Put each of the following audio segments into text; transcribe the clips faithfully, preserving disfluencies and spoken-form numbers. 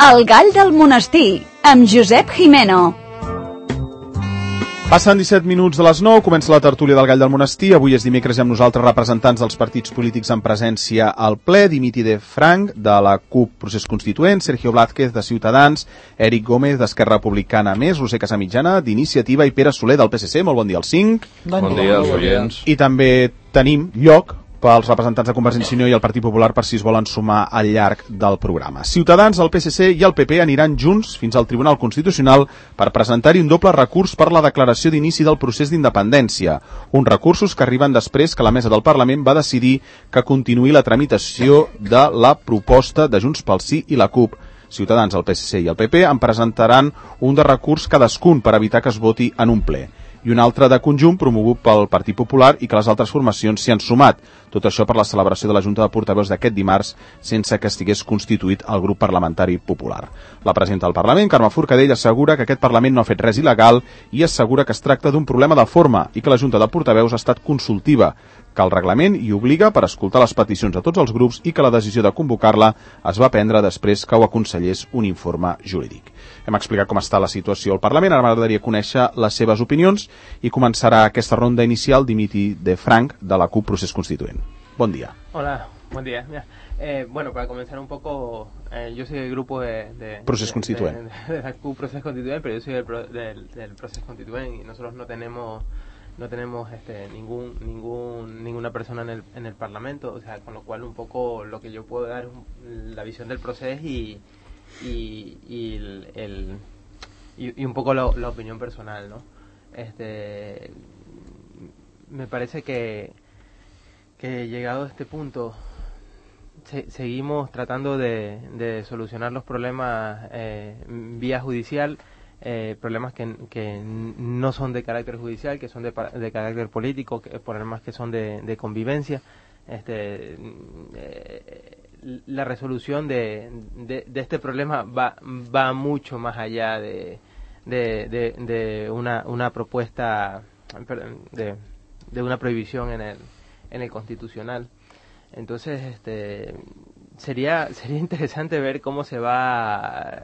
El gall del monestir, amb Josep Jimeno. Passen disset minuts de les nou, comença la tertúlia del gall del monestir. Avui és dimecres i amb nosaltres representants dels partits polítics en presència al ple. Dimitri de Frank, de la CUP Procés Constituent, Sergio Blázquez, de Ciutadans, Eric Gómez, d'Esquerra Republicana Més, Roser Casamitjana, d'Iniciativa, i Pere Soler, del P S C. Molt bon dia als cinc. Bon, bon dia als oients. I també tenim lloc pels representants de Convergència i Unió i el Partit Popular per si es volen sumar al llarg del programa. Ciutadans, el P S C i el P P aniran junts fins al Tribunal Constitucional per presentar-hi un doble recurs per la declaració d'inici del procés d'independència. Uns recursos que arriben després que la mesa del Parlament va decidir que continuï la tramitació de la proposta de Junts pel Sí i la CUP. Ciutadans, el P S C i el P P en presentaran un de recurs cadascun per evitar que es voti en un ple, i un altre de conjunt promogut pel Partit Popular i que les altres formacions s'hi han sumat. Tot això per la celebració de la Junta de Portaveus d'aquest dimarts sense que estigués constituït el grup parlamentari popular. La presidenta del Parlament, Carme Forcadell, assegura que aquest Parlament no ha fet res il·legal i assegura que es tracta d'un problema de forma i que la Junta de Portaveus ha estat consultiva, que el reglament hi obliga per escoltar les peticions de tots els grups i que la decisió de convocar-la es va prendre després que ho aconsellés un informe jurídic. Hem explicat com està la situació al Parlament, ara m'agradaria conèixer les seves opinions i començará aquesta ronda inicial Dimitri de Frank, de la CUP Procés Constituent. Bon día. Hola, buen día. Mira, eh, bueno, para comenzar un poco, eh, yo soy del grupo de, de, Procés de, Constituent. de, de, de la CUP Procés Constituent, pero yo soy del, del, del Procés Constituent y nosotros no tenemos no tenemos este ningún ningún ninguna persona en el en el Parlamento, o sea, con lo cual un poco lo que yo puedo dar es un, la visión del proceso y y, y el, el y, y un poco lo, la opinión personal, ¿no? Este me parece que que llegado a este punto se, seguimos tratando de, de solucionar los problemas eh, vía judicial, eh, problemas que, que no son de carácter judicial, que son de, de carácter político, que, problemas que son de, de convivencia. Este, eh, la resolución de, de, de este problema va, va mucho más allá de, de, de, de una, una propuesta de, de una prohibición en el en el Constitucional. Entonces, este sería sería interesante ver cómo se va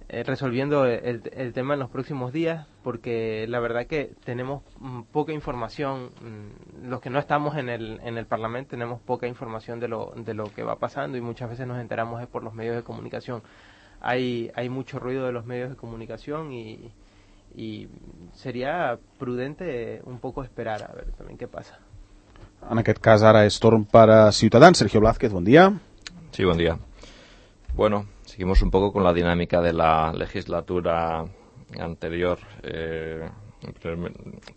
eh, resolviendo el, el tema en los próximos días, porque la verdad que tenemos poca información. Los que no estamos en el en el Parlamento tenemos poca información de lo de lo que va pasando y muchas veces nos enteramos es por los medios de comunicación. Hay hay mucho ruido de los medios de comunicación y y sería prudente un poco esperar a ver también qué pasa. En aquest cas ara és torn per a Ciutadans. Sergio Blázquez, buen día. Sí, buen día. Bueno, seguimos un poco con la dinámica de la legislatura anterior. Eh,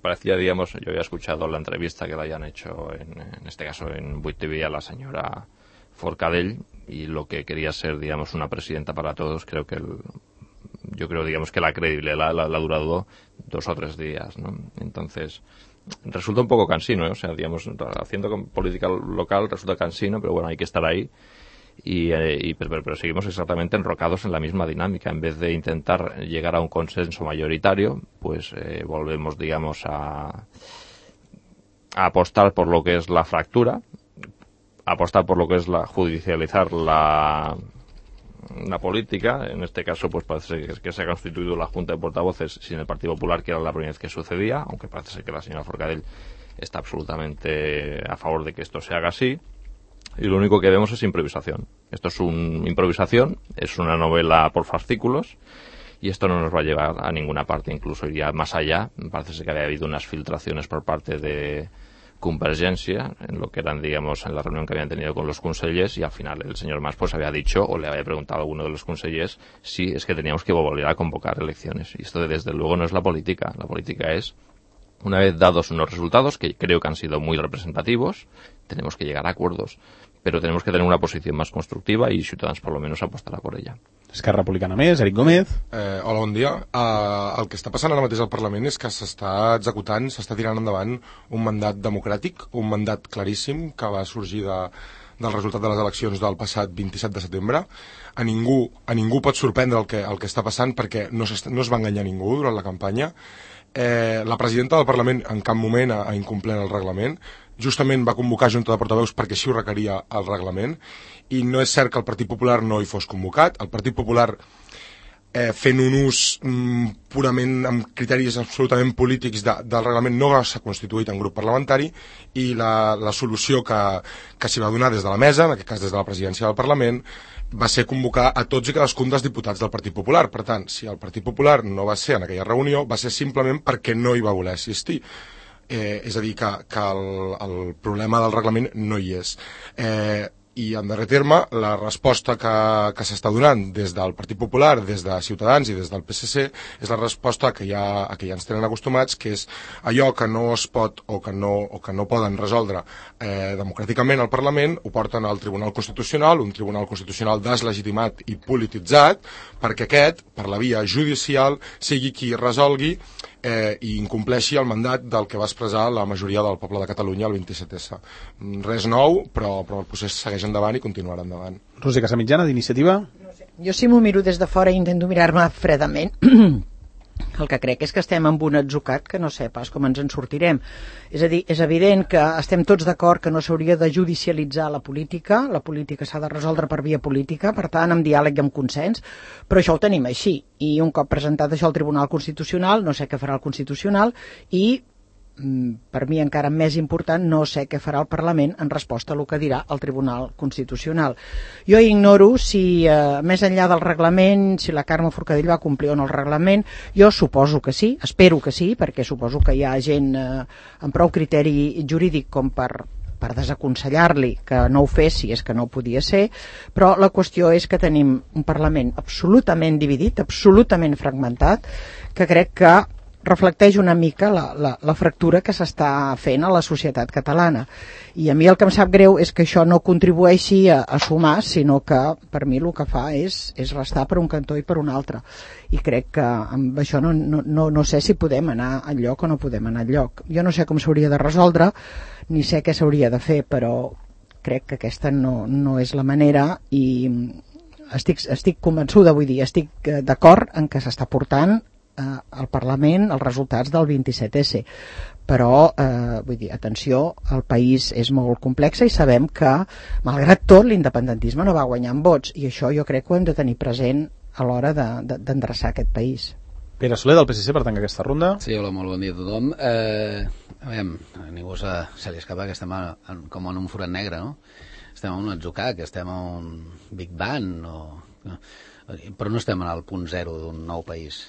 parecía, digamos, yo había escuchado la entrevista que le hayan hecho, en, en este caso en Buit T V, a la señora Forcadell, y lo que quería ser, digamos, una presidenta para todos. Creo que el, yo creo, digamos, que la credibilidad la, la, la ha durado dos o tres días, ¿no? Entonces resulta un poco cansino, ¿eh? O sea, digamos, haciendo política local resulta cansino, pero bueno, hay que estar ahí y, eh, y pero, pero, pero seguimos exactamente enrocados en la misma dinámica. En vez de intentar llegar a un consenso mayoritario, pues eh, volvemos, digamos, a, a apostar por lo que es la fractura, a apostar por lo que es la judicializar la la política. En este caso pues parece que, que se ha constituido la Junta de Portavoces sin el Partido Popular, que era la primera vez que sucedía, aunque parece ser que la señora Forcadell está absolutamente a favor de que esto se haga así, y lo único que vemos es improvisación. Esto es una improvisación, es una novela por fascículos, y esto no nos va a llevar a ninguna parte, incluso iría más allá. Parece ser que había habido unas filtraciones por parte de Convergencia, en lo que eran, digamos, en la reunión que habían tenido con los consellers, y al final el señor Mas pues había dicho, o le había preguntado a alguno de los consellers, si es que teníamos que volver a convocar elecciones. Y esto desde luego no es la política. La política es, una vez dados unos resultados, que creo que han sido muy representativos, tenemos que llegar a acuerdos, pero tenemos que tener una posición más constructiva y Ciutadans por lo menos apostarà por ella. Esquerra Republicana Més, Eric Gómez. Eh, hola, bon dia. Uh, el que està passant ara mateix al Parlament és que s'està executant, s'està tirant endavant un mandat democràtic, un mandat claríssim que va sorgir de, del resultat de les eleccions del passat vint-i-set de setembre. A ningú, a ningú pot sorprendre el que, el que està passant, perquè no, no es va enganyar ningú durant la campanya. Eh, la presidenta del Parlament en cap moment ha, ha incomplert el reglament. justament va convocar Junta de Portaveus perquè així ho requeria el reglament, i no és cert que el Partit Popular no hi fos convocat. El Partit Popular, eh, fent un ús mm, purament amb criteris absolutament polítics de, del reglament, no s'ha constituït en grup parlamentari, i la, la solució que, que s'hi va donar des de la mesa, en aquest cas des de la presidència del Parlament, va ser convocar a tots i cadascun dels diputats del Partit Popular. Per tant, si el Partit Popular no va ser en aquella reunió, va ser simplement perquè no hi va voler assistir. Eh, és a dir, que, que el, el problema del reglament no hi és. Eh, I, en darrer terme, la resposta que, que s'està donant des del Partit Popular, des de Ciutadans i des del P S C, és la resposta que ja, a que ja ens tenen acostumats, que és allò que no es pot o que no, o que no poden resoldre eh, democràticament al Parlament, ho porten al Tribunal Constitucional, un Tribunal Constitucional deslegitimat i polititzat, perquè aquest, per la via judicial, sigui qui resolgui eh, i incompleixi el mandat del que va expressar la majoria del poble de Catalunya el vint-i-set esse. Res nou, però, però el procés segueix endavant i continuarà endavant. Roser Casamitjana, d'Iniciativa. No sé. Jo si m'ho miro des de fora i intento mirar-me fredament, el que crec és que estem amb un atzucat que no sé pas com ens en sortirem. És a dir, és evident que estem tots d'acord que no s'hauria de judicialitzar la política, la política s'ha de resoldre per via política, per tant, amb diàleg i amb consens, però això ho tenim així. I un cop presentat això al Tribunal Constitucional, no sé què farà el Constitucional, i per mi encara més important, no sé què farà el Parlament en resposta a el que dirà el Tribunal Constitucional. Jo ignoro si, eh, més enllà del reglament, si la Carme Forcadell va complir o no el reglament. Jo suposo que sí, espero que sí, perquè suposo que hi ha gent eh, amb prou criteri jurídic com per per desaconsellar-li que no ho fes si és que no ho podia ser, però la qüestió és que tenim un Parlament absolutament dividit, absolutament fragmentat, que crec que reflecteix una mica la, la, la fractura que s'està fent a la societat catalana. I a mi el que em sap greu és que això no contribueixi a, a sumar, sinó que per mi el que fa és, és restar per un cantó i per un altre. I crec que amb això no, no, no, no sé si podem anar enlloc o no podem anar enlloc. Jo no sé com s'hauria de resoldre, ni sé què s'hauria de fer, però crec que aquesta no, no és la manera i estic, estic convençuda, vull dir, estic d'acord en que s'està portant al Parlament els resultats del vint-i-set esse, però eh, vull dir, atenció, el país és molt complex i sabem que malgrat tot l'independentisme no va guanyar en vots, i això jo crec que ho hem de tenir present a l'hora de, de, d'endreçar aquest país. Pere Soler, del P S C, per tancar aquesta ronda. Sí, hola, molt bon dia a tothom. Eh, a veure, a ningú se, se li escapa que estem a, en, com en un forat negre, no? Estem en un atzucac, que estem en un Big Bang, o, no? Però no estem en el punt zero d'un nou país,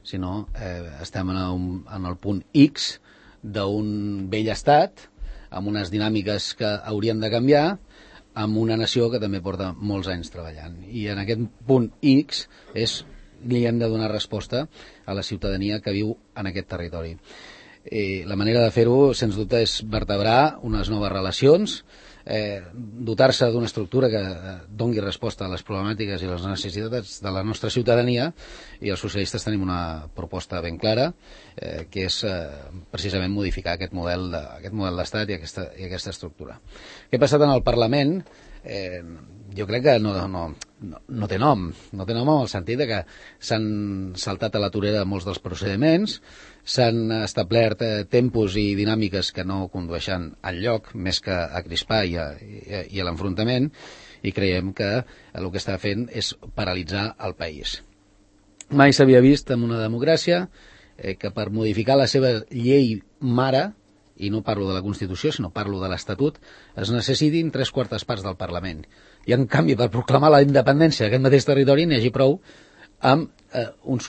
sinó eh, estem en, un, en el punt X d'un vell estat, amb unes dinàmiques que haurien de canviar, amb una nació que també porta molts anys treballant. I en aquest punt X és, li hem de donar resposta a la ciutadania que viu en aquest territori. I la manera de fer-ho, sens dubte, és vertebrar unes noves relacions, eh, dotar-se d'una estructura que dongui resposta a les problemàtiques i les necessitats de la nostra ciutadania, i els socialistes tenim una proposta ben clara, eh, que és eh, precisament modificar aquest model de, aquest model d'estat i aquesta, i aquesta estructura. Què ha passat en el Parlament? Eh, jo crec que no, no, no, no té nom, no té nom en el sentit de que s'han saltat a la torera molts dels procediments, s'han establert eh, tempos i dinàmiques que no condueixen enlloc més que a crispar i a, i a, i a l'enfrontament, i creiem que el que està fent és paralitzar el país. Mai s'havia vist en una democràcia eh, que per modificar la seva llei mare, i no parlo de la Constitució, sinó parlo de l'Estatut, es necessitin tres quartes parts del Parlament. I, en canvi, per proclamar la independència d'aquest mateix territori n'hi hagi prou amb eh, uns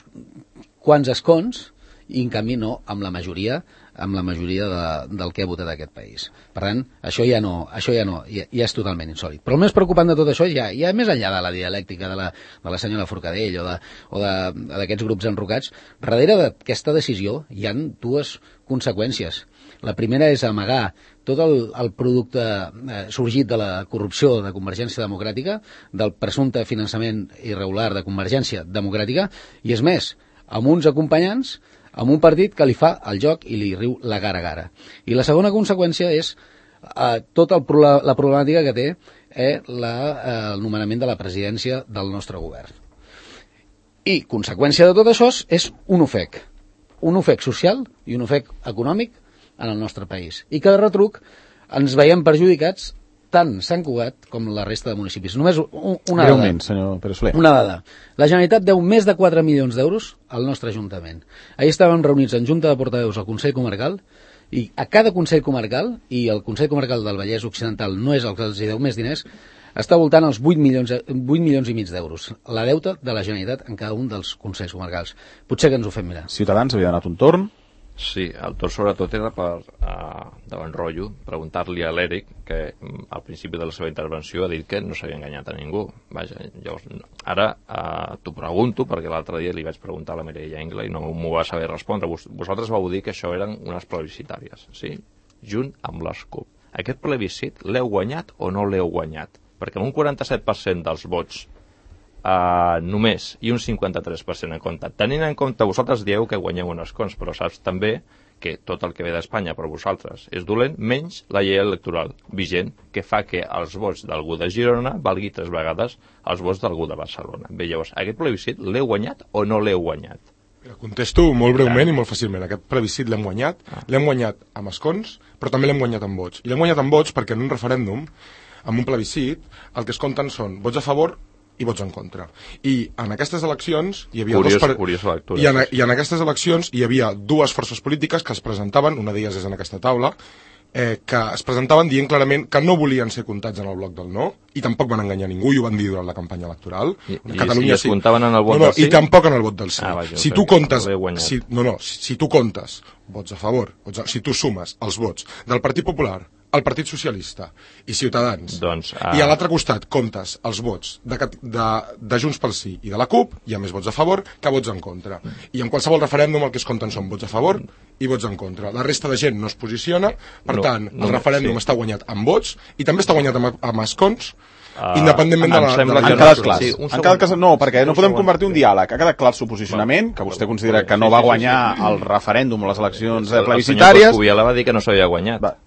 quants escons, i, en canvi, no amb la majoria amb la majoria de, del que ha votat aquest país. Per tant, això ja no, això ja no, ja, ja és totalment insòlit. Però el més preocupant de tot això, ja, ja més enllà de la dialèctica de la, de la senyora Forcadell o de, o de, d'aquests grups enrocats, darrere d'aquesta decisió hi ha dues conseqüències. La primera és amagar tot el, el producte eh, sorgit de la corrupció de Convergència Democràtica, del presumpte finançament irregular de Convergència Democràtica, i és més, amb uns acompanyants, amb un partit que li fa el joc i li riu la gara a gara. I la segona conseqüència és eh, tota el, la problemàtica que té eh, la, eh, el nomenament de la presidència del nostre govern. I conseqüència de tot això és un ofec. Un ofec social i un ofec econòmic en el nostre país. I que de retruc ens veiem perjudicats tant Sant Cugat com la resta de municipis. Només una dada. Greument, senyor Pere Soler. Una dada. La Generalitat deu més de quatre milions d'euros al nostre Ajuntament. Ahir estàvem reunits en Junta de Portaveus al Consell Comarcal i a cada Consell Comarcal, i el Consell Comarcal del Vallès Occidental no és el que els deu més diners, està voltant als vuit milions, vuit milions i mig d'euros. La deuta de la Generalitat en cada un dels Consells Comarcals. Potser que ens ho fem mirar. Ciutadans havia donat un torn. Sí, el torn sobretot era per, uh, davant rotllo, preguntar-li a l'Eric, que al principi de la seva intervenció ha dit que no s'havia enganyat a ningú. Vaja, llavors, ara uh, t'ho pregunto, perquè l'altre dia li vaig preguntar a la Mireia Ingla i no m'ho va saber respondre. Vos, vosaltres vau dir que això eren unes plebiscitàries, sí? Junt amb les C U P. Aquest plebiscit l'heu guanyat o no l'heu guanyat? Perquè amb un quaranta-set per cent dels vots Uh, només i un cinquanta-tres per cent en compte. Tenint en compte, vosaltres dieu que guanyeu un escons, però saps també que tot el que ve d'Espanya per vosaltres és dolent, menys la llei electoral vigent, que fa que els vots d'algú de Girona valgui tres vegades els vots d'algú de Barcelona. Bé, llavors, aquest plebiscit l'heu guanyat o no l'heu guanyat? Contesto molt breument ah. i molt fàcilment. Aquest plebiscit l'hem guanyat, ah. l'hem guanyat amb escons, però també l'hem guanyat amb vots. I l'hem guanyat amb vots perquè en un referèndum, en un plebiscit, el que es compten són vots a favor i vots en contra. I en aquestes eleccions hi havia curiós, dos per... curiós lectura, I, en, I en aquestes eleccions hi havia dues forces polítiques que es presentaven, una d'elles és en aquesta taula, eh, que es presentaven dient clarament que no volien ser comptats en el bloc del no, i tampoc van enganyar ningú, i ho van dir durant la campanya electoral. I, i, Catalunya, i es sí. comptaven en el vot no, no, del sí? I tampoc en el vot del sí. Ah, vaja, si tu comptes... Si, no, no, si, si tu comptes vots a favor, vots a, si tu sumes els vots del Partit Popular, el Partit Socialista i Ciutadans, doncs, uh... i a l'altre costat comptes els vots de, de, de Junts pel Sí i de la C U P, hi ha més vots a favor que vots en contra. I en qualsevol referèndum el que es compten són vots a favor i vots en contra. La resta de gent no es posiciona, per no, tant, el no, referèndum sí. està guanyat amb vots i també està guanyat amb, amb escons, uh, independentment de la... De la han quedat clars. Sí, en cada cas, no, perquè no podem convertir un diàleg. Ha quedat clar el seu posicionament, que vostè considera que no va guanyar el referèndum o les eleccions plebiscitàries. El senyor Coscubiela va dir que no s'havia guanyat. Va.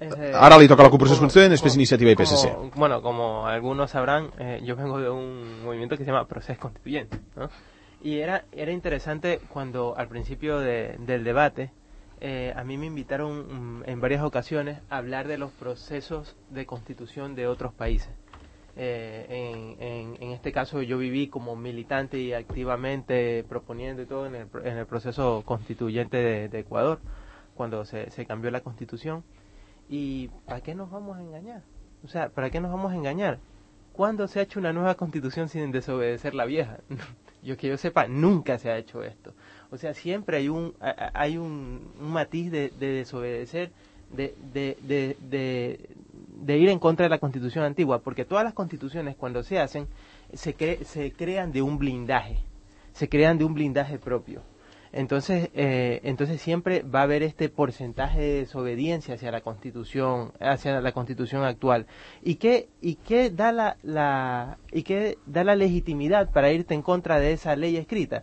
Eh, Ahora le toca la Corporación Constitucional, después Iniciativa y P S C. Como, bueno, como algunos sabrán, eh, yo vengo de un movimiento que se llama Proceso Constituyente, ¿no? Y era, era interesante cuando al principio de, del debate, eh, a mí me invitaron um, en varias ocasiones a hablar de los procesos de constitución de otros países. Eh, en, en, en este caso yo viví como militante y activamente proponiendo y todo en el, en el proceso constituyente de, de Ecuador, cuando se, se cambió la constitución. ¿Y para qué nos vamos a engañar? O sea, ¿para qué nos vamos a engañar? ¿Cuándo se ha hecho una nueva constitución sin desobedecer la vieja? Yo que yo sepa, nunca se ha hecho esto. O sea, siempre hay un hay un, un matiz de, de desobedecer, de, de, de, de, de ir en contra de la constitución antigua, porque todas las constituciones cuando se hacen se, cre se crean de un blindaje, se crean de un blindaje propio. Entonces, eh, entonces siempre va a haber este porcentaje de desobediencia hacia la Constitución, hacia la Constitución actual. ¿Y qué y qué da la, la y qué da la legitimidad para irte en contra de esa ley escrita?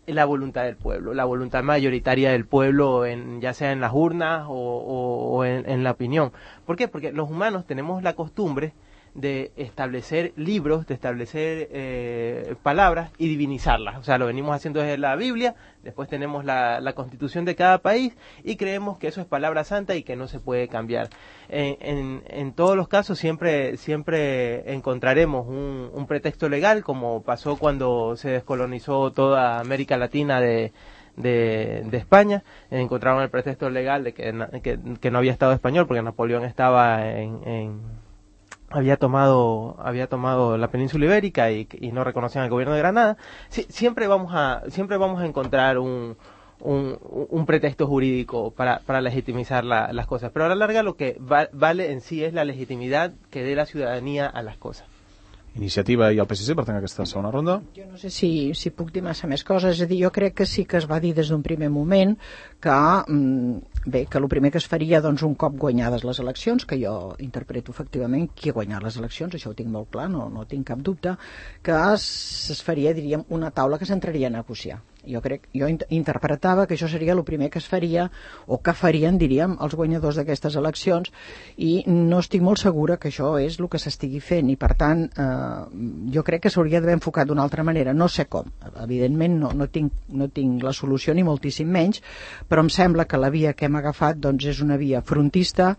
La voluntad del pueblo, la voluntad mayoritaria del pueblo, en, ya sea en las urnas o, o, o en, en la opinión. ¿Por qué? Porque los humanos tenemos la costumbre de establecer libros, de establecer eh, palabras y divinizarlas. O sea, lo venimos haciendo desde la Biblia, después tenemos la, la Constitución de cada país y creemos que eso es palabra santa y que no se puede cambiar. En, en, en todos los casos siempre siempre encontraremos un, un pretexto legal, como pasó cuando se descolonizó toda América Latina de De, de España. Encontraron el pretexto legal de que, que, que no había Estado español porque Napoleón estaba en... en había tomado había tomado la península ibérica y, y no reconocían al gobierno de Granada. Sí, siempre vamos a siempre vamos a encontrar un un, un pretexto jurídico para, para legitimizar la, las cosas, pero a la larga lo que va, vale en sí es la legitimidad que dé la ciudadanía a las cosas. Iniciativa i el P S C per tant aquesta segona ronda. Jo no sé si, si puc dir massa més coses, és a dir, jo crec que sí que es va dir des d'un primer moment que, bé, que el primer que es faria, doncs, un cop guanyades les eleccions, que jo interpreto efectivament qui ha guanyat les eleccions, això ho tinc molt clar, no, no tinc cap dubte, que es, es faria, diríem, una taula que s'entraria a negociar. Jo crec, jo interpretava que això seria el primer que es faria, o que farien, diríem, els guanyadors d'aquestes eleccions, i no estic molt segura que això és el que s'estigui fent, i per tant, eh, jo crec que s'hauria d'haver enfocat d'una altra manera, no sé com, evidentment no, no, tinc, no tinc la solució ni moltíssim menys, però em sembla que la via que hem agafat doncs, és una via frontista,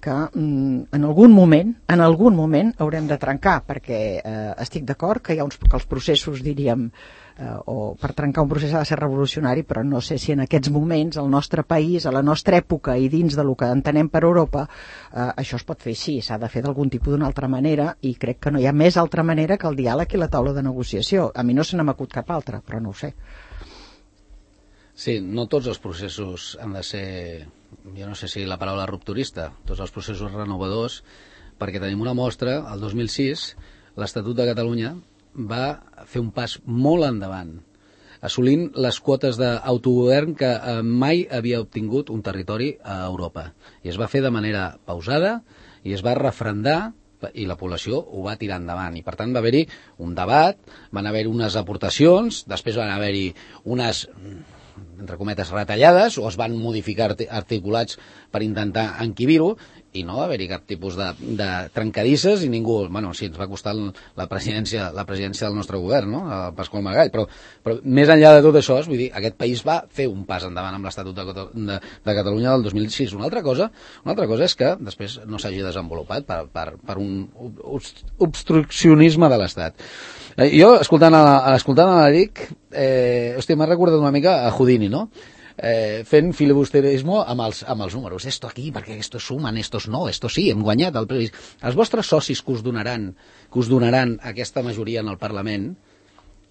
que mm, en algun moment, en algun moment haurem de trencar, perquè eh, estic d'acord que hi ha uns, que els processos, diríem, eh, o per trencar un procés ha de ser revolucionari, però no sé si en aquests moments al nostre país, a la nostra època i dins de lo que entenem per Europa, eh, això es pot fer així, s'ha de fer d'algun tipus d'una altra manera, i crec que no hi ha més altra manera que el diàleg i la taula de negociació. A mi no se n'ha m'acut cap altra, però no ho sé. Sí, no tots els processos han de ser, jo no sé si la paraula rupturista, tots els processos renovadors, perquè tenim una mostra, el dos mil sis, l'Estatut de Catalunya va fer un pas molt endavant, assolint les quotes d'autogovern que mai havia obtingut un territori a Europa. I es va fer de manera pausada i es va refrendar i la població ho va tirar endavant. I per tant va haver-hi un debat, van haver-hi unes aportacions, després van haver-hi unes, entre cometes, retallades, o es van modificar articulats per intentar enquibir-ho, i no va haver-hi cap tipus de, de trencadisses, i ningú, bueno, sí, ens va costar la presidència, la presidència del nostre govern, no?, el Pasqual Maragall, però, però més enllà de tot això, vull dir, aquest país va fer un pas endavant amb l'Estatut de, de, de Catalunya del dos mil sis. Una altra cosa, una altra cosa és que després no s'hagi desenvolupat per, per, per un obstruccionisme de l'Estat. Eh, jo, escoltant a, escoltant a l'Eric, eh, hòstia, m'ha recordat una mica a Houdini, no?, Eh, fent filibusterisme amb els, amb els números. Esto aquí, perquè estos sumen, estos no, estos sí, hem guanyat el plebiscit. Els vostres socis que us donaran, que us donaran aquesta majoria en el Parlament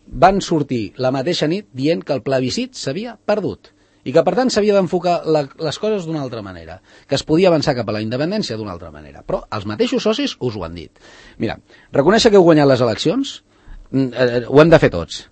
van sortir la mateixa nit dient que el plebiscit s'havia perdut i que per tant s'havia d'enfocar les coses d'una altra manera, que es podia avançar cap a la independència d'una altra manera. Però els mateixos socis us ho han dit. Mira, reconèixer que heu guanyat les eleccions eh, ho hem de fer tots.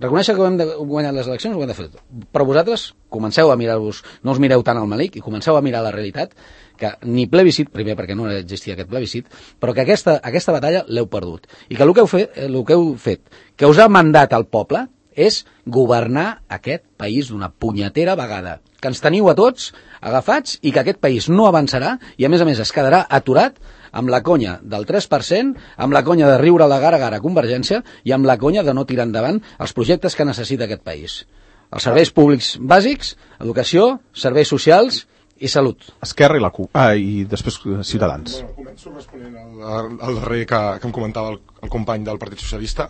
Reconèixer que hem de guanyar les eleccions ho hem de fer tot. Però vosaltres comenceu a mirar-vos, no us mireu tant al malic i comenceu a mirar la realitat, que ni plebiscit, primer perquè no existia aquest plebiscit, però que aquesta, aquesta batalla l'heu perdut. I que el que heu fet, el que heu fet, que us ha mandat el poble, és governar aquest país d'una punyetera vegada. Que ens teniu a tots agafats i que aquest país no avançarà i a més a més es quedarà aturat amb la conya del tres per cent, amb la conya de riure la gara a gara a Convergència i amb la conya de no tirar endavant els projectes que necessita aquest país. Els serveis públics bàsics, educació, serveis socials i salut. Esquerra i la C U P. Ah, i després Ciutadans. Bueno, començo responent al, al darrer que, que em comentava el, el company del Partit Socialista.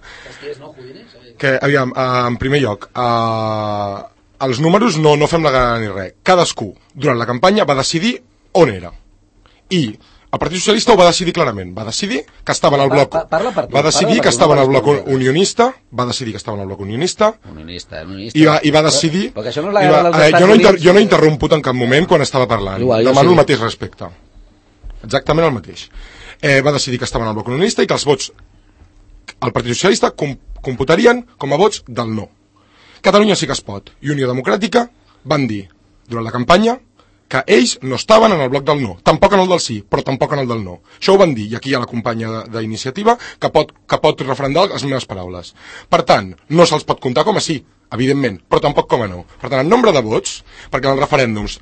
Que, aviam, uh, en primer lloc, uh, els números no, no fem la gana ni res. Cadascú, durant la campanya, va decidir on era. I el Partit Socialista ho va decidir clarament. Va decidir que estava en el bloc... Va decidir que estava en el bloc unionista, va decidir que estava en el bloc unionista, unionista, unionista. I, va, i va decidir... Però, perquè això no és la guerra dels eh, Estats jo, no inter, Units. jo no he interromput en cap moment quan estava parlant. Igual, Demano sí. el mateix respecte. Exactament el mateix. Eh, va decidir que estava en el bloc unionista i que els vots al Partit Socialista com, computarien com a vots del no. Catalunya sí que es pot. I Unió Democràtica van dir, durant la campanya, que ells no estaven en el bloc del no, tampoc en el del sí, però tampoc en el del no. Això ho van dir, i aquí hi ha la companya d'iniciativa que pot, que pot refrendar les meves paraules. Per tant, no se'ls pot comptar com a sí, evidentment, però tampoc com a no. Per tant, en nombre de vots, perquè en els referèndums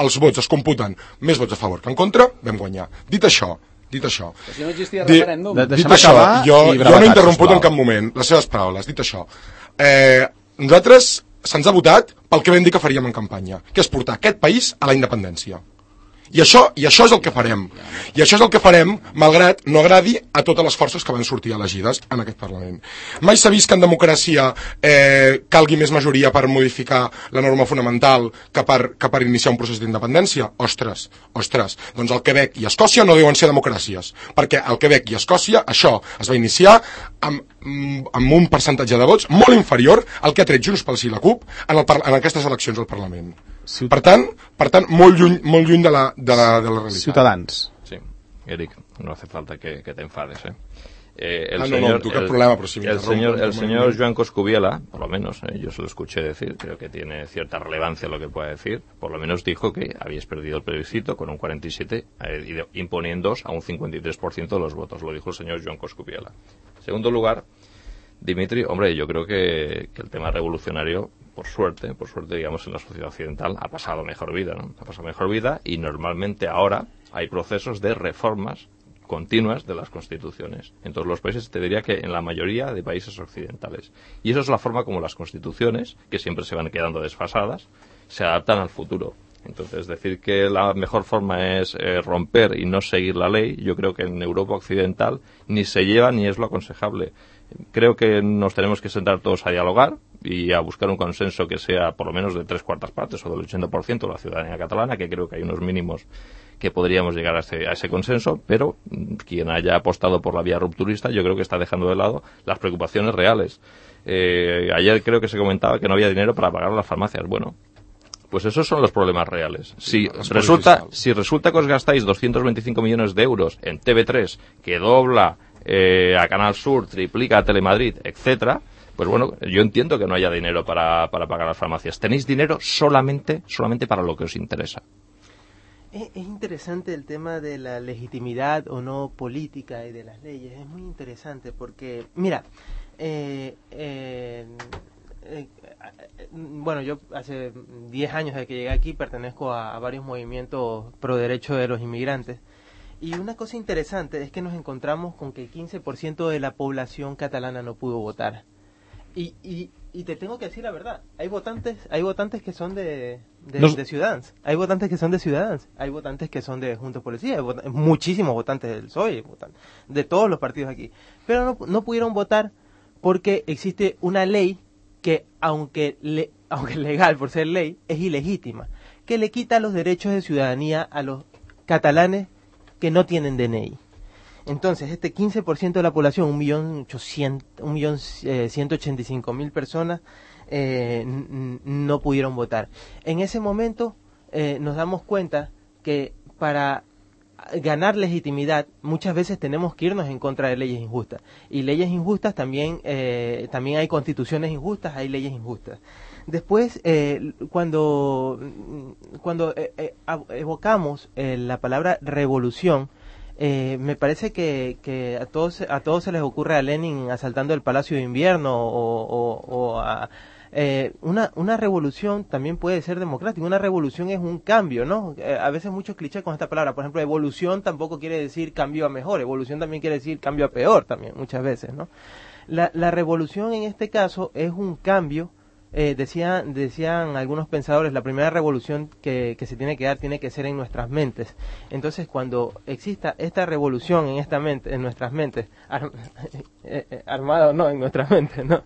els vots es computen més vots a favor que en contra, vam guanyar. Dit això, dit això, si no existia dit, referèndum. dit això, jo, jo no he interromput en cap moment les seves paraules, dit això. Eh, nosaltres se'ns ha votat pel que vam dir que faríem en campanya, que és portar aquest país a la independència. I això, i això és el que farem. I això és el que farem, malgrat no agradi a totes les forces que van sortir elegides en aquest Parlament. Mai s'ha vist que en democràcia eh, calgui més majoria per modificar la norma fonamental que per, que per iniciar un procés d'independència? Ostres, ostres. Doncs el Quebec i Escòcia no deuen ser democràcies, perquè al Quebec i Escòcia això es va iniciar amb, amb un percentatge de vots molt inferior al que ha tret Junts pel Sí i la C U P en, el, en aquestes eleccions al Parlament. Ciut... Per tant, per tant molt lluny, molt lluny de, la, de, la, de la realitat. Ciutadans. Sí, Eric, no hace falta que, que te enfades, ¿eh? Eh, el ah, no, señor, no, tu cap el, problema, pero si me el señor, el señor momento. Joan Coscubiela, por lo menos, eh, yo se lo escuché decir, creo que tiene cierta relevancia lo que pueda decir, por lo menos dijo que habéis perdido el plebiscito con un cuarenta y siete, eh, imponiéndoos a un cincuenta y tres por ciento de los votos, lo dijo el señor Joan Coscubiela. En segundo lugar, Dimitri, hombre, yo creo que, que el tema revolucionario, por suerte, por suerte, digamos, en la sociedad occidental, ha pasado mejor vida, ¿no? Ha pasado mejor vida y normalmente ahora hay procesos de reformas continuas de las constituciones. En todos los países, te diría que en la mayoría de países occidentales. Y eso es la forma como las constituciones, que siempre se van quedando desfasadas, se adaptan al futuro. Entonces, decir que la mejor forma es eh, romper y no seguir la ley, yo creo que en Europa Occidental ni se lleva ni es lo aconsejable. Creo que nos tenemos que sentar todos a dialogar y a buscar un consenso que sea por lo menos de tres cuartas partes o del ochenta por ciento de la ciudadanía catalana, que creo que hay unos mínimos que podríamos llegar a ese, a ese consenso, pero quien haya apostado por la vía rupturista yo creo que está dejando de lado las preocupaciones reales. Eh, ayer creo que se comentaba que no había dinero para pagar las farmacias. Bueno, pues esos son los problemas reales. Si resulta, si resulta que os gastáis doscientos veinticinco millones de euros en T V tres, que dobla eh, a Canal Sur, triplica a Telemadrid, etcétera, pues bueno, yo entiendo que no haya dinero para, para pagar las farmacias. Tenéis dinero solamente, solamente para lo que os interesa. Es, es interesante el tema de la legitimidad o no política y de las leyes. Es muy interesante porque, mira, eh, eh, eh, bueno, yo hace diez años de que llegué aquí pertenezco a, a varios movimientos pro derecho de los inmigrantes. Y una cosa interesante es que nos encontramos con que el quince por ciento de la población catalana no pudo votar. Y, y, y te tengo que decir la verdad, hay votantes hay votantes que son de, de, no. de Ciudadanos, hay votantes que son de Ciudadanos, hay votantes que son de Juntos Policía, hay vot- muchísimos votantes del P S O E, de todos los partidos aquí. Pero no, no pudieron votar porque existe una ley que, aunque, le, aunque legal por ser ley, es ilegítima, que le quita los derechos de ciudadanía a los catalanes que no tienen D N I. Entonces, este quince por ciento de la población, un millón ciento ochenta y cinco mil personas, eh, n- no pudieron votar. En ese momento eh, nos damos cuenta que para ganar legitimidad muchas veces tenemos que irnos en contra de leyes injustas. Y leyes injustas también, eh, también hay constituciones injustas, hay leyes injustas. Después, eh, cuando, cuando eh, eh, evocamos eh, la palabra revolución, Eh, me parece que, que a todos a todos se les ocurre a Lenin asaltando el Palacio de Invierno o, o, o a, eh, una una revolución también puede ser democrática. Una revolución es un cambio, ¿no? Eh, a veces muchos clichés con esta palabra. Por ejemplo, evolución tampoco quiere decir cambio a mejor. Evolución también quiere decir cambio a peor también, muchas veces, ¿no? La, la revolución en este caso es un cambio. Eh, decía, decían algunos pensadores, la primera revolución que, que se tiene que dar tiene que ser en nuestras mentes. Entonces, cuando exista esta revolución en esta mente, en nuestras mentes, ar, eh, eh, armada o no, en nuestras mentes, ¿no?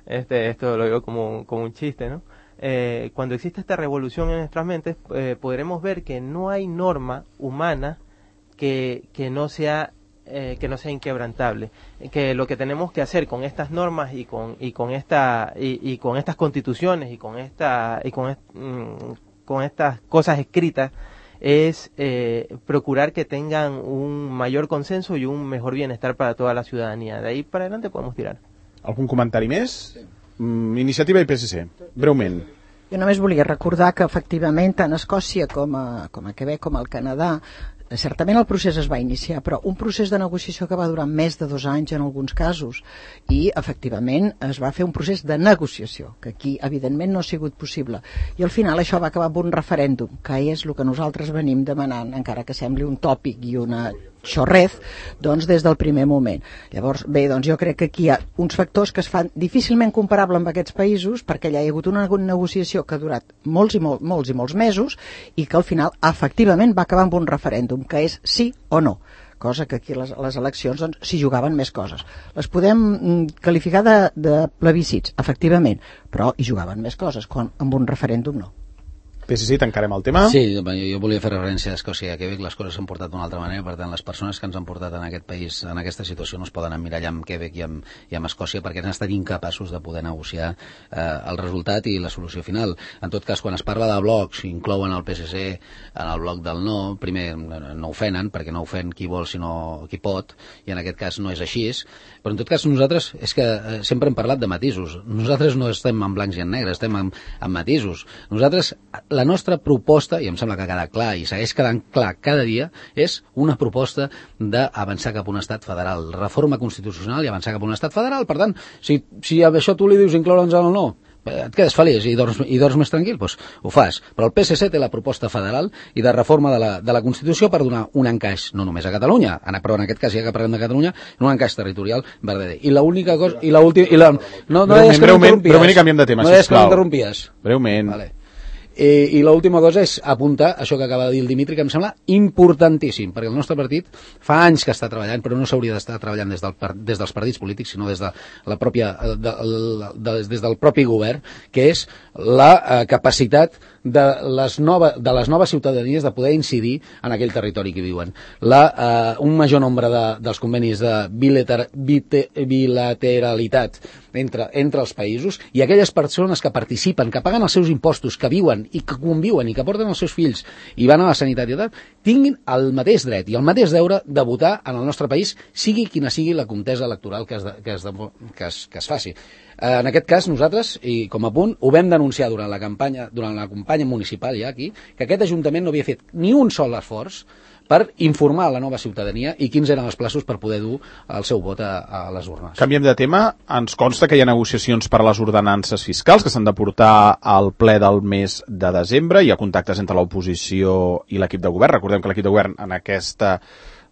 Este, esto lo digo como, como un chiste, ¿no? Eh, cuando exista esta revolución en nuestras mentes, eh, podremos ver que no hay norma humana que, que no sea Eh, que no sea inquebrantable, que lo que tenemos que hacer con estas normas y con y con esta y, y con estas constituciones y con esta y con, est, mm, con estas cosas escritas es eh, procurar que tengan un mayor consenso y un mejor bienestar para toda la ciudadanía. De ahí para adelante podemos tirar. Algun comentari més? Sí. Mm, Iniciativa i P S C, breument. Jo només volia recordar que efectivament tant a Escòcia com a, com a Quebec com al Canadà certament el procés es va iniciar, però un procés de negociació que va durar més de dos anys en alguns casos, i efectivament es va fer un procés de negociació, que aquí evidentment no ha sigut possible, i al final això va acabar amb un referèndum, que és el que nosaltres venim demanant, encara que sembli un tòpic i una xorrez, doncs des del primer moment. Llavors, bé, doncs jo crec que aquí hi ha uns factors que es fan difícilment comparables amb aquests països, perquè ja hi ha hagut una negociació que ha durat molts i molts, molts i molts mesos, i que al final efectivament va acabar amb un referèndum, que és sí o no, cosa que aquí les, les eleccions doncs, s'hi jugaven més coses. Les podem mm, qualificar de, de plebiscits, efectivament, però hi jugaven més coses, quan amb un referèndum no. P S C, tancarem el tema. Sí, jo, jo volia fer referència a Escòcia i a Quebec. Les coses s'han portat d'una altra manera, per tant, les persones que ens han portat en aquest país, en aquesta situació, no es poden emmirallar amb Quebec i amb, i amb Escòcia, perquè han estat incapaços de poder negociar eh, el resultat i la solució final. En tot cas, quan es parla de blocs, inclouen el P S C en el bloc del no, primer no ofenen, perquè no ofèn qui vol sinó qui pot, i en aquest cas no és així, però en tot cas nosaltres, és que eh, sempre hem parlat de matisos. Nosaltres no estem en blancs i en negres, estem en, en matisos. Nosaltres, la nostra proposta, i em sembla que ha quedat clar i segueix quedant clar cada dia, és una proposta d'avançar cap a un estat federal, reforma constitucional i avançar cap a un estat federal. Per tant, si, si a això tu li dius incloure'ns en el no, et quedes feliç i dorms, i dorms més tranquil, doncs ho fas. Però el P S C té la proposta federal i de reforma de la, de la Constitució per donar un encaix, no només a Catalunya, però en aquest cas ja que parlem de Catalunya, un encaix territorial verdader. I l'única cosa... I l'última... I la, no, no deies que m'interrompies. Breument, canviem de tema, no deies que m'interrompies. Breument. Vale. Eh, I l'última cosa és apuntar això que acaba de dir el Dimitri, que em sembla importantíssim, perquè el nostre partit fa anys que està treballant, però no s'hauria d'estar treballant des, del, des dels partits polítics, sinó des, de la pròpia, de, de, de, des del propi govern, que és la eh, capacitat de les, nova, de les noves ciutadanies de poder incidir en aquell territori que viuen. La, eh, un major nombre de, dels convenis de bilater, bite, bilateralitat entre, entre els països, i aquelles persones que participen, que paguen els seus impostos, que viuen i que conviuen i que porten els seus fills i van a la sanitat i tal, tinguin el mateix dret i el mateix deure de votar en el nostre país, sigui quina sigui la contesa electoral que es, de, que es, de, que es, que es faci. En aquest cas, nosaltres, i com a punt, ho vam denunciar durant la campanya, durant la campanya municipal ja aquí, que aquest Ajuntament no havia fet ni un sol esforç per informar a la nova ciutadania i quins eren els plaços per poder dur el seu vot a, a les urnes. Canviem de tema. Ens consta que hi ha negociacions per a les ordenances fiscals que s'han de portar al ple del mes de desembre. Hi ha contactes entre l'oposició i l'equip de govern. Recordem que l'equip de govern en aquesta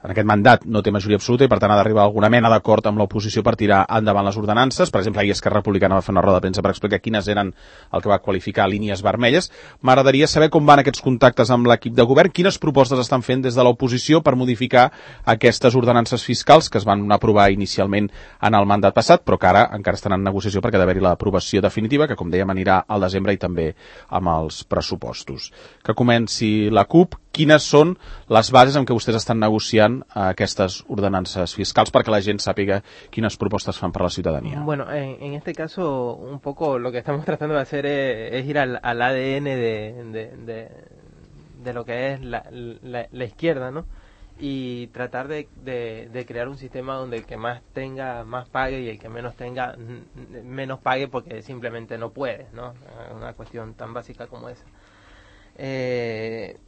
en aquest mandat no té majoria absoluta i per tant ha d'arribar a alguna mena d'acord amb l'oposició per tirar endavant les ordenances. Per exemple, ahir Esquerra Republicana va fer una roda de premsa per explicar quines eren el que va qualificar línies vermelles. M'agradaria saber com van aquests contactes amb l'equip de govern, quines propostes estan fent des de l'oposició per modificar aquestes ordenances fiscals que es van aprovar inicialment en el mandat passat, però que ara encara estan en negociació perquè ha d'haver-hi l'aprovació definitiva, que com dèiem anirà al desembre i també amb els pressupostos. Que comenci la CUP. Quines són les bases en què vostès estan negociant aquestes ordenances fiscals perquè la gent sàpiga quines propostes fan per la ciudadanía? Bueno, en, en este caso un poco lo que estamos tratando de hacer es, es ir al, al A D N de, de, de, de lo que es la, la, la izquierda, ¿no? Y tratar de, de, de crear un sistema donde el que más tenga más pague y el que menos tenga menos pague porque simplemente no puede, ¿no? Una cuestión tan básica como esa. Eh,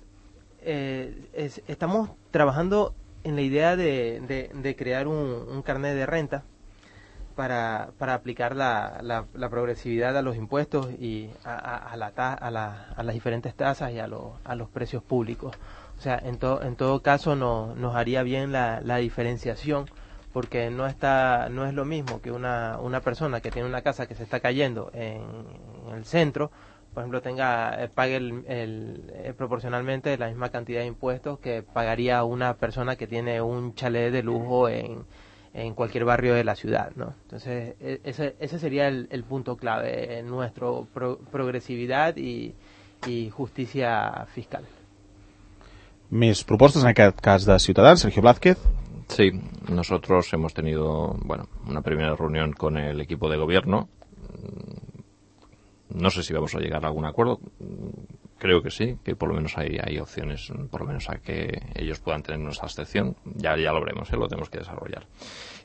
Eh, es, estamos trabajando en la idea de, de, de crear un, un carnet de renta para, para aplicar la, la, la progresividad a los impuestos y a, a, a, la ta, a, la, a las diferentes tasas y a, lo, a los precios públicos. O sea, en, to, en todo caso no, nos haría bien la, la diferenciación, porque no está no es lo mismo que una, una persona que tiene una casa que se está cayendo en, en el centro, por ejemplo, tenga eh, pague el, el, eh, proporcionalmente la misma cantidad de impuestos que pagaría una persona que tiene un chalet de lujo en, en cualquier barrio de la ciudad, ¿no? Entonces, ese, ese sería el, el punto clave en nuestro pro, progresividad y, y justicia fiscal. Més propostes, en aquest cas de Ciutadans. Sergio Blázquez. Sí, nosotros hemos tenido, bueno, una primera reunión con el equipo de gobierno. No sé si vamos a llegar a algún acuerdo, creo que sí, que por lo menos hay, hay opciones, por lo menos a que ellos puedan tener nuestra abstención, ya, ya lo veremos, ¿eh? Lo tenemos que desarrollar.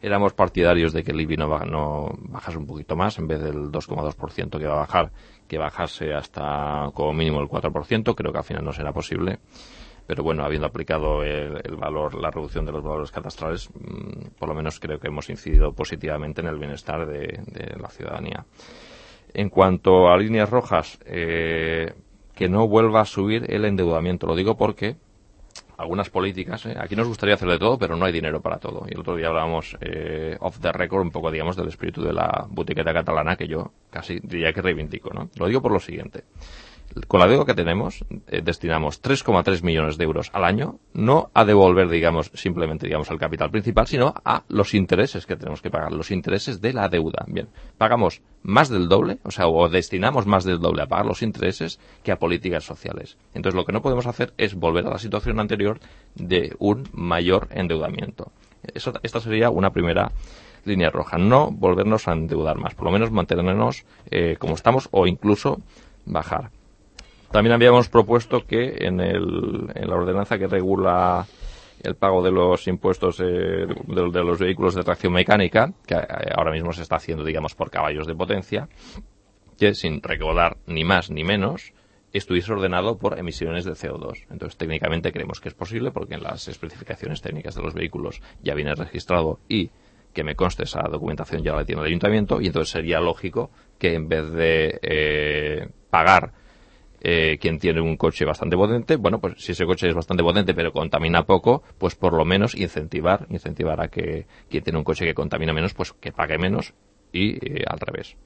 Éramos partidarios de que el I B I no, va, no bajase un poquito más, en vez del dos coma dos por ciento que va a bajar, que bajase hasta como mínimo el cuatro por ciento, creo que al final no será posible. Pero bueno, habiendo aplicado el, el valor, la reducción de los valores catastrales, mmm, por lo menos creo que hemos incidido positivamente en el bienestar de, de la ciudadanía. En cuanto a líneas rojas, eh, que no vuelva a subir el endeudamiento. Lo digo porque algunas políticas, eh, aquí nos gustaría hacer de todo, pero no hay dinero para todo. Y el otro día hablábamos eh, off the record un poco, digamos, del espíritu de la butiqueta catalana que yo casi diría que reivindico, ¿no? Lo digo por lo siguiente. Con la deuda que tenemos, eh, destinamos tres coma tres millones de euros al año, no a devolver, digamos, simplemente, digamos, al capital principal, sino a los intereses que tenemos que pagar, los intereses de la deuda. Bien, pagamos más del doble, o sea, o destinamos más del doble a pagar los intereses que a políticas sociales. Entonces, lo que no podemos hacer es volver a la situación anterior de un mayor endeudamiento. Eso, esta sería una primera línea roja. No volvernos a endeudar más, por lo menos mantenernos eh, como estamos o incluso bajar. También habíamos propuesto que en, el, en la ordenanza que regula el pago de los impuestos eh, de, de los vehículos de tracción mecánica, que ahora mismo se está haciendo, digamos, por caballos de potencia, que sin recaudar ni más ni menos, estuviese ordenado por emisiones de C O dos. Entonces, técnicamente creemos que es posible porque en las especificaciones técnicas de los vehículos ya viene registrado y que me conste esa documentación ya la tiene el ayuntamiento, y entonces sería lógico que en vez de eh, pagar Eh, quien tiene un coche bastante potente, bueno, pues si ese coche es bastante potente pero contamina poco, pues por lo menos incentivar incentivar a que quien tiene un coche que contamina menos, pues que pague menos y eh, al revés.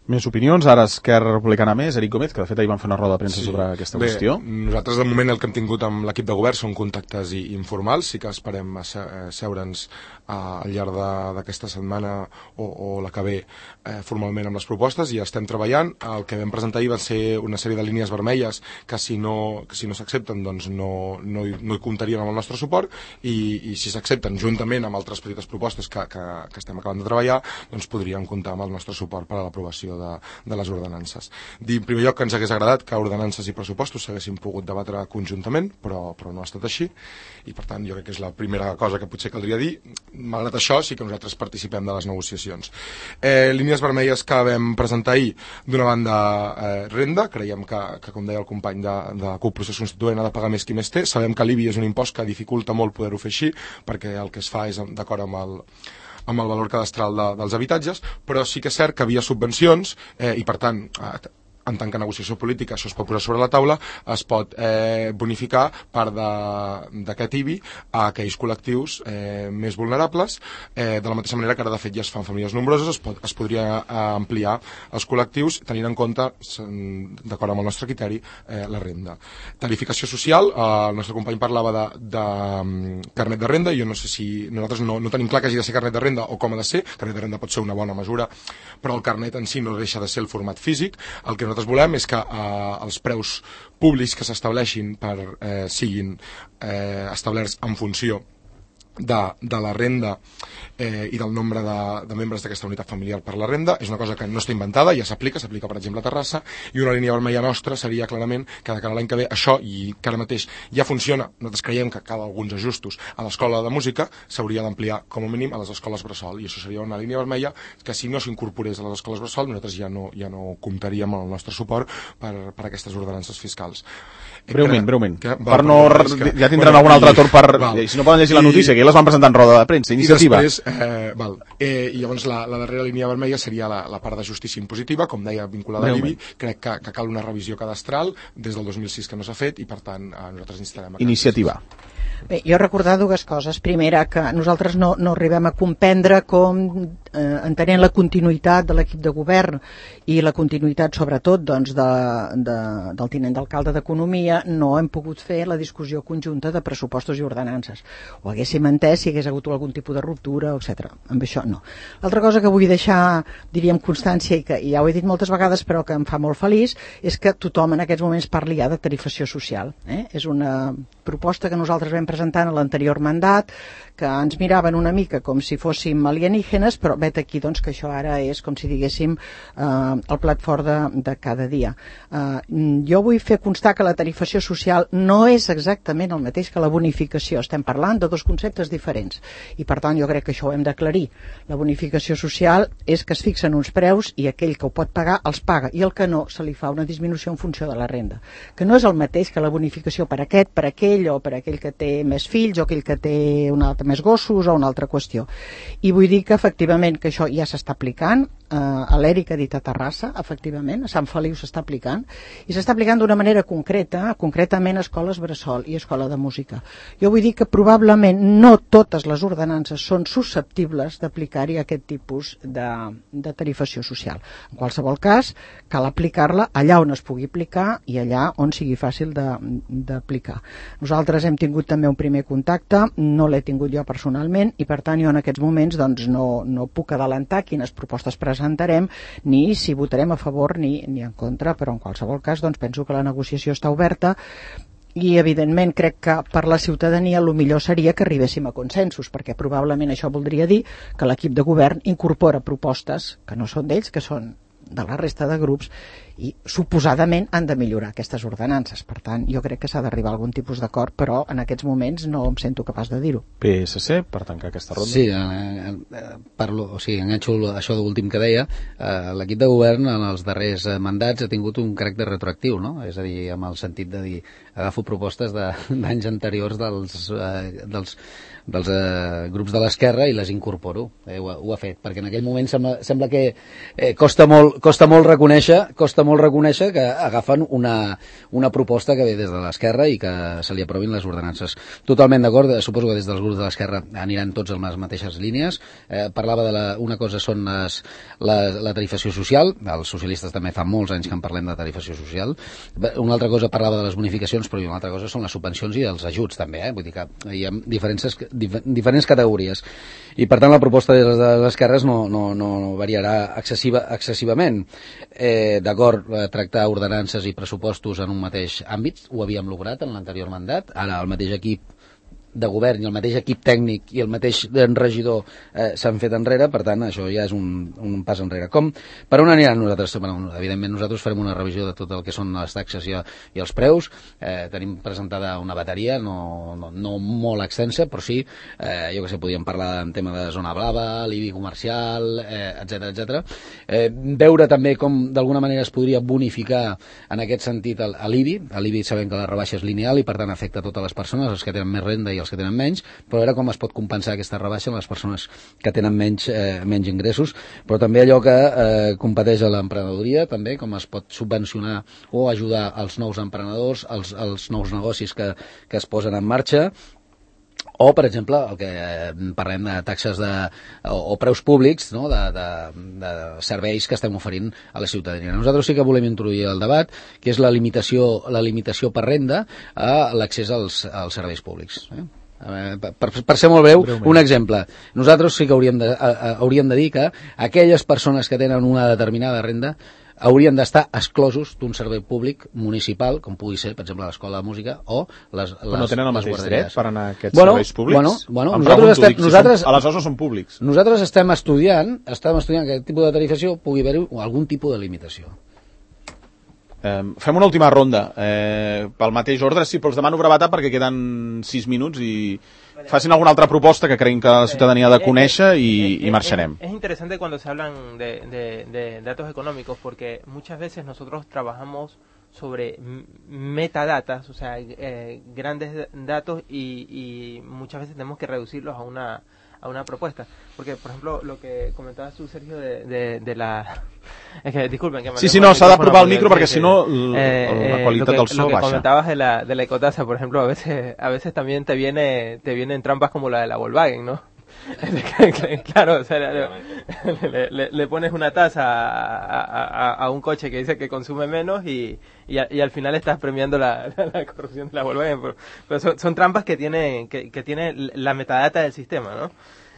Més opinions, ara Esquerra Republicana més, Eric Gómez, que de fet ahir van fer una roda de premsa sí. sobre aquesta Bé, qüestió. Nosaltres de moment el que hem tingut amb l'equip de govern són contactes i informals, sí que esperem seure'ns al llarg d'aquesta setmana o, o la que ve eh, formalment amb les propostes i estem treballant. El que vam presentar ahir va ser una sèrie de línies vermelles que si no que si no s'accepten doncs no, no, hi, no hi comptarien amb el nostre suport i, i si s'accepten juntament amb altres petites propostes que, que, que estem acabant de treballar doncs podrien comptar amb el nostre suport per a l'aprovació de, de les ordenances. Dir en primer lloc que ens hagués agradat que ordenances i pressupostos s'haguessin pogut debatre conjuntament, però, però no ha estat així i per tant jo crec que és la primera cosa que potser caldria dir. Malgrat això sí que nosaltres participem de les negociacions. Eh, línies vermelles que vam presentar ahir, d'una banda eh, renda, creiem que, que com deia el company de, de la CUP Procés Constituent ha de pagar més qui més té, sabem que l'I B I és un impost que dificulta molt poder-ho fer així perquè el que es fa és d'acord amb el amb el valor cadastral de, dels habitatges, però sí que és cert que havia subvencions eh, i per tant eh, en tant que negociació política això es pot posar sobre la taula, es pot eh, bonificar part d'aquest I B I a aquells col·lectius eh, més vulnerables, eh, de la mateixa manera que ara de fet ja es fan famílies nombroses, es, pot, es podria eh, ampliar els col·lectius tenint en compte, d'acord amb el nostre criteri, eh, la renda. Tarificació social, eh, el nostre company parlava de, de um, carnet de renda, jo no sé si nosaltres no, no tenim clar que hagi de ser carnet de renda o com ha de ser, carnet de renda pot ser una bona mesura, però el carnet en si no deixa de ser el format físic, el que nosaltres volem és que eh, els preus públics que s'estableixin per, eh, siguin eh, establerts en funció de, de la renda eh, i del nombre de, de membres d'aquesta unitat familiar per la renda. És una cosa que no està inventada, ja s'aplica, s'aplica per exemple a Terrassa, i una línia vermella nostra seria clarament que de cara a l'any que ve això, i que ara mateix ja funciona, nosaltres creiem que cal alguns ajustos a l'escola de música, s'hauria d'ampliar com a mínim a les escoles bressol, i això seria una línia vermella que si no s'incorporés a les escoles bressol nosaltres ja no, ja no comptaríem amb el nostre suport per, per aquestes ordenances fiscals. Breument, breument. Que, per no, que, ja tindran bueno, algun altre torn per... Val. Si no poden llegir la notícia, que ja les van presentar en roda de premsa, iniciativa. I després, eh, val. Eh, i llavors la, la darrera línia vermella seria la, la part de justícia impositiva, com deia, vinculada a l'I B I. Crec que, que cal una revisió cadastral des del dos mil sis que no s'ha fet i per tant eh, nosaltres instarem a... Iniciativa. Bé, jo recordar dues coses. Primera, que nosaltres no, no arribem a comprendre com, eh, entenent la continuïtat de l'equip de govern i la continuïtat, sobretot, doncs, de, de, del tinent d'alcalde d'Economia, no hem pogut fer la discussió conjunta de pressupostos i ordenances. Ho haguéssim entès si hagués hagut algun tipus de ruptura, etcètera. Amb això no. L'altra cosa que vull deixar, diríem, constància, i que ja ho he dit moltes vegades, però que em fa molt feliç, és que tothom en aquests moments parli ja de tarifació social. Eh? És una proposta que nosaltres vam presentant a l'anterior mandat, que ens miraven una mica com si fóssim alienígenes, però vet aquí doncs, que això ara és com si diguéssim eh, el plat fort de, de cada dia. Eh, jo vull fer constar que la tarifació social no és exactament el mateix que la bonificació. Estem parlant de dos conceptes diferents i per tant jo crec que això ho hem d'aclarir. La bonificació social és que es fixen uns preus i aquell que ho pot pagar els paga i el que no se li fa una disminució en funció de la renda, que no és el mateix que la bonificació per aquest, per aquell o per aquell que té més fills o aquell que té un altre més gossos o una altra qüestió. I vull dir que efectivament que això ja s'està aplicant, eh, a l'Eric ha dit a Terrassa, efectivament, a Sant Feliu s'està aplicant, i s'està aplicant d'una manera concreta, concretament a escoles bressol i escola de música. Jo vull dir que probablement no totes les ordenances són susceptibles d'aplicar-hi aquest tipus de, de tarifació social. En qualsevol cas, cal aplicar-la allà on es pugui aplicar i allà on sigui fàcil d'aplicar. Nosaltres hem tingut també un primer contacte, no l'he tingut jo personalment i per tant jo en aquests moments doncs, no, no puc adelantar quines propostes presentarem ni si votarem a favor ni, ni en contra, però en qualsevol cas doncs, penso que la negociació està oberta i evidentment crec que per la ciutadania el millor seria que arribéssim a consensos, perquè probablement això voldria dir que l'equip de govern incorpora propostes que no són d'ells, que són de la resta de grups i suposadament han de millorar aquestes ordenances. Per tant, jo crec que s'ha d'arribar a algun tipus d'acord, però en aquests moments no em sento capaç de dir-ho. P S C, per tancar aquesta ronda. Sí, eh, eh, parlo, o sigui, enganxo això últim que deia. Eh, l'equip de govern en els darrers mandats ha tingut un caràcter retroactiu, no? És a dir, amb el sentit de dir, agafo propostes d'anys anteriors dels, eh, dels dels eh, grups de l'esquerra i les incorporo, eh, ho, ho ha fet, perquè en aquell moment sembla, sembla que eh, costa, molt, costa molt reconèixer costa molt reconèixer que agafen una, una proposta que ve des de l'esquerra i que se li aprovin les ordenances. Totalment d'acord, suposo que des dels grups de l'esquerra aniran tots en les mateixes línies. Eh, parlava de la, una cosa són les, la, la tarifació social, els socialistes també fa molts anys que en parlem de tarifació social. Una altra cosa parlava de les bonificacions, però una altra cosa són les subvencions i els ajuts també, eh? Vull dir que hi ha diferents, dif, diferents categories i per tant la proposta de les, de les esquerres no, no, no variarà excessiva, excessivament. Eh, d'acord, eh, tractar ordenances i pressupostos en un mateix àmbit, ho havíem lograt en l'anterior mandat, ara el mateix equip de govern i el mateix equip tècnic i el mateix regidor eh, s'han fet enrere, per tant això ja és un, un pas enrere. Com? Per on aniran nosaltres? Bueno, evidentment nosaltres farem una revisió de tot el que són les taxes i, i els preus, eh, tenim presentada una bateria no, no, no molt extensa, però sí, eh, jo que sé, podríem parlar en tema de zona blava, l'I B I comercial, eh, etcètera, etcètera. Eh, veure també com d'alguna manera es podria bonificar en aquest sentit l'I B I. L'I B I sabem que la rebaixa és lineal i per tant afecta a totes les persones, els que tenen més renda i els que tenen menys, però veure com es pot compensar aquesta rebaixa amb les persones que tenen menys, eh, menys ingressos, però també allò que eh, competeix a l'emprenedoria, també com es pot subvencionar o ajudar els nous emprenedors, els, els nous negocis que, que es posen en marxa, o, per exemple, el que parlem de taxes de, o, o preus públics, no? de, de, de serveis que estem oferint a la ciutadania. Nosaltres sí que volem introduir el debat, que és la limitació, la limitació per renda a l'accés als, als serveis públics. Eh? Per, per ser molt breu, un exemple. Nosaltres sí que hauríem de, a, a, hauríem de dir que aquelles persones que tenen una determinada renda haurien d'estar exclosos d'un servei públic municipal, com pugui ser, per exemple, l'escola de música o les, les Però no tenen el mateix dret per anar a aquests bueno, serveis públics? Bueno, bueno, em nosaltres pregunto, estem, dic, si nosaltres, són, aleshores no són públics. Nosaltres estem estudiant, estem estudiant que aquest tipus de tarifació pugui haver algun tipus de limitació. Eh, fem una última ronda. Eh, pel mateix ordre, sí, però els demano brevetat perquè queden sis minuts i facin alguna altra proposta que creguin que la ciutadania ha de conèixer i, i marxarem. Es, es interesante cuando se hablan de, de, de datos económicos porque muchas veces nosotros trabajamos sobre metadatas, o sea, eh, grandes datos y, y muchas veces tenemos que reducirlos a una a una propuesta, porque por ejemplo lo que comentabas tú, Sergio, de, de, de la es que disculpen que me sí, sí, no, s'ha d'aprovar el micro perquè si no eh, la qualitat que, del so lo que baixa. Comentabas de la, de la ecotasa, por ejemplo, a veces a veces también te viene te vienen trampas como la de la Volkswagen, ¿no? Claro, o sea, le, le, le pones una tasa a, a, a un coche que dice que consume menos y, y, a, y al final estás premiando la, la, la corrupción de la Volkswagen. Pero, pero son, son trampas que tiene, que, que tiene la metadata del sistema, ¿no?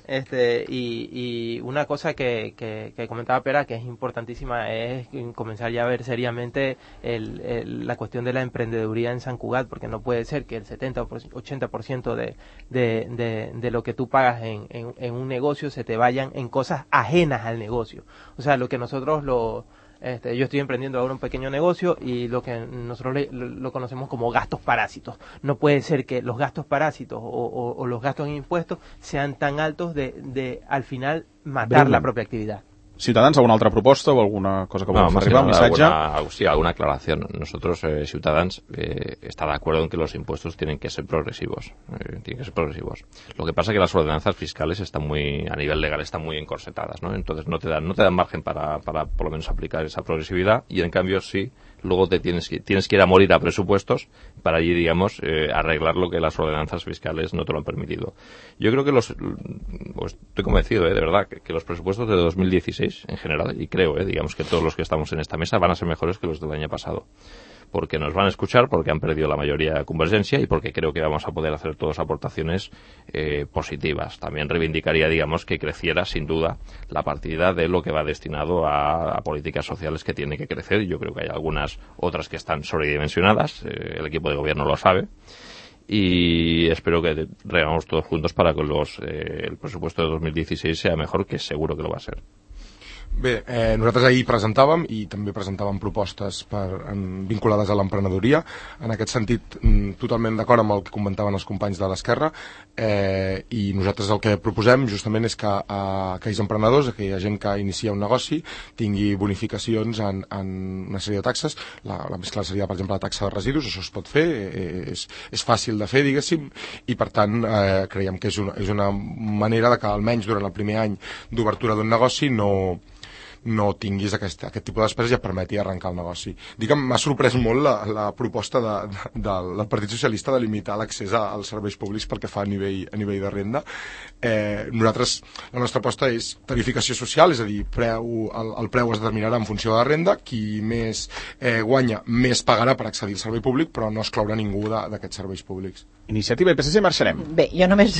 Este, y, y una cosa que, que, que comentaba Pera, que es importantísima, es comenzar ya a ver seriamente el, el, la cuestión de la emprendeduría en San Cugat, porque no puede ser que el setenta o ochenta por ciento de, de, de, de lo que tú pagas en, en, en un negocio se te vayan en cosas ajenas al negocio. O sea, lo que nosotros lo... Este, yo estoy emprendiendo ahora un pequeño negocio y lo que nosotros le, lo, lo conocemos como gastos parásitos. No puede ser que los gastos parásitos o, o, o los gastos en impuestos sean tan altos de, de al final matar Breve. la propia actividad. Ciutadans, ¿alguna otra propuesta o alguna cosa que volvamos no, a arribar? ¿Un mensaje? Alguna, sí, alguna aclaración. Nosotros, eh, Ciutadans, eh, está de acuerdo en que los impuestos tienen que ser progresivos. Eh, tienen que ser progresivos. Lo que pasa es que las ordenanzas fiscales están muy, a nivel legal, están muy encorsetadas, ¿no? Entonces no te dan, no te dan margen para, para por lo menos aplicar esa progresividad y en cambio sí, luego te tienes que, tienes que ir a morir a presupuestos para allí, digamos, eh, arreglar lo que las ordenanzas fiscales no te lo han permitido. Yo creo que los, pues estoy convencido, eh, de verdad, que, que los presupuestos de dos mil dieciséis en general, y creo, eh, digamos que todos los que estamos en esta mesa van a ser mejores que los del año pasado, porque nos van a escuchar, porque han perdido la mayoría Convergencia y porque creo que vamos a poder hacer todas aportaciones eh, positivas. También reivindicaría, digamos, que creciera sin duda la partida de lo que va destinado a, a políticas sociales que tiene que crecer. Yo creo que hay algunas otras que están sobredimensionadas, eh, el equipo de gobierno lo sabe. Y espero que regamos todos juntos para que los, eh, el presupuesto de dos mil dieciséis sea mejor, que seguro que lo va a ser. Bé, eh, nosaltres ahir presentàvem i també presentàvem propostes per, en, vinculades a l'emprenedoria. En aquest sentit, m, totalment d'acord amb el que comentaven els companys de l'Esquerra, eh, i nosaltres el que proposem justament és que a aquells emprenedors, aquella gent que inicia un negoci, tingui bonificacions en, en una sèrie de taxes. La, la més clara seria, per exemple, la taxa de residus. Això es pot fer, eh, és, és fàcil de fer, diguéssim, i per tant eh, creiem que és una, és una manera de que almenys durant el primer any d'obertura d'un negoci no no tinguis aquest, aquest tipus de despeses i et permeti arrencar el negoci. Dic que m'ha sorprès molt la, la proposta de, de, de, del Partit Socialista de limitar l'accés als serveis públics pel que fa a nivell, a nivell de renda. Eh, nosaltres, la nostra aposta és tarificació social, és a dir, preu, el, el preu es determinarà en funció de la renda, qui més eh, guanya més pagarà per accedir al servei públic, però no excloure ningú d'aquests serveis públics. Iniciativa i P S C, marxarem. Bé, jo només,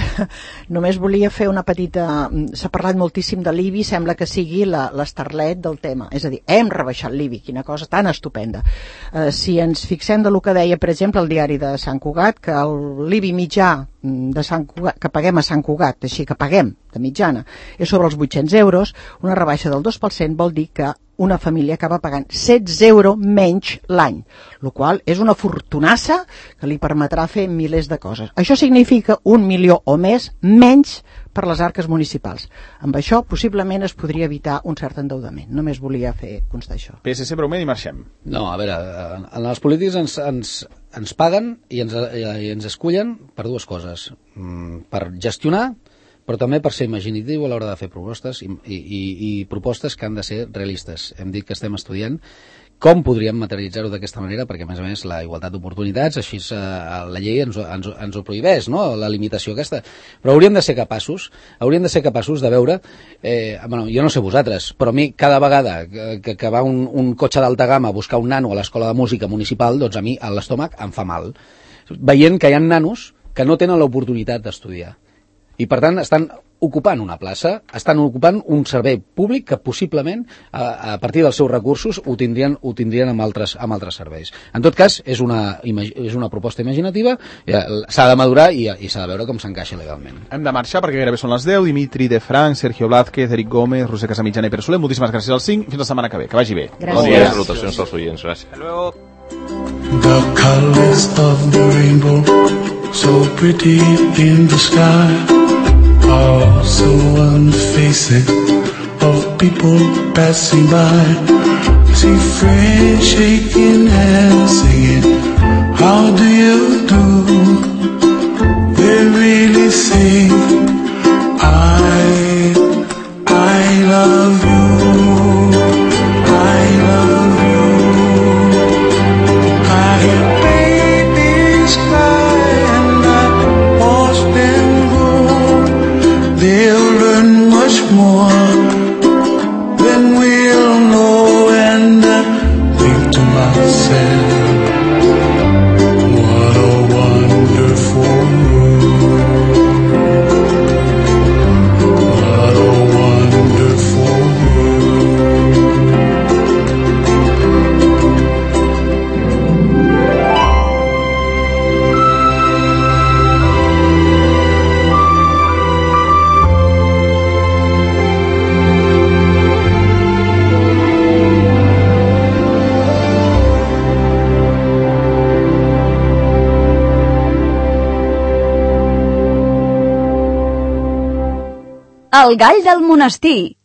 només volia fer una petita... S'ha parlat moltíssim de l'I B I, sembla que sigui l'estarlet del tema. És a dir, hem rebaixat l'I B I, quina cosa tan estupenda. Eh, si ens fixem de lo que deia, per exemple, el diari de Sant Cugat, que l'I B I mitjà de Sant Cugat, que paguem a Sant Cugat, així que paguem de mitjana, és sobre els vuit-cents euros, una rebaixa del dos per cent vol dir que una família acaba pagant setze euros menys l'any, el qual és una fortunassa que li permetrà fer milers de coses. Això significa un milió o més menys per les arques municipals. Amb això possiblement es podria evitar un cert endeudament. Només volia fer constar això. P S C breument i marxem. No, a veure, en, en els polítics ens, ens, ens paguen i ens, i ens escullen per dues coses. Mm, per gestionar, però també per ser imaginatiu a l'hora de fer propostes i, i, i, i propostes que han de ser realistes. Hem dit que estem estudiant com podríem materialitzar-ho d'aquesta manera, perquè a més a més la igualtat d'oportunitats, així eh, la llei ens, ens, ens ho prohibeix, no?, la limitació aquesta. Però hauríem de ser capaços, hauríem de ser capaços de veure, eh, bueno, jo no sé vosaltres, però a mi cada vegada que, que va un, un cotxe d'alta gamma a buscar un nano a l'escola de música municipal, doncs a mi a l'estómac em fa mal, veient que hi ha nanos que no tenen l'oportunitat d'estudiar. I per tant estan ocupant una plaça, estan ocupant un servei públic que possiblement a, a partir dels seus recursos ho tindrien, ho tindrien amb, altres, amb altres serveis. En tot cas, és una, és una proposta imaginativa, s'ha de madurar i, i s'ha de veure com s'encaixa legalment. Hem de marxar perquè gairebé són les deu. Dimitri de Franc, Sergio Blázquez, Eric Gómez, Roser Casamitjana i Pere Soler, moltíssimes gràcies als cinc. Fins la setmana que ve. Que vagi bé. Gràcies. Bon dia, salutacions als oients. Gràcies. Hasta luego. The colors of the rainbow, so pretty in the sky, also on the faces of people passing by. See friends shaking hands, singing, how do you do? They really sing, I, I love you, I love you. I hear babies cry and I watch them grow. They'll learn much more than we'll know, and I think to myself, what a wonderful world, what a wonderful world. El gall del monestir,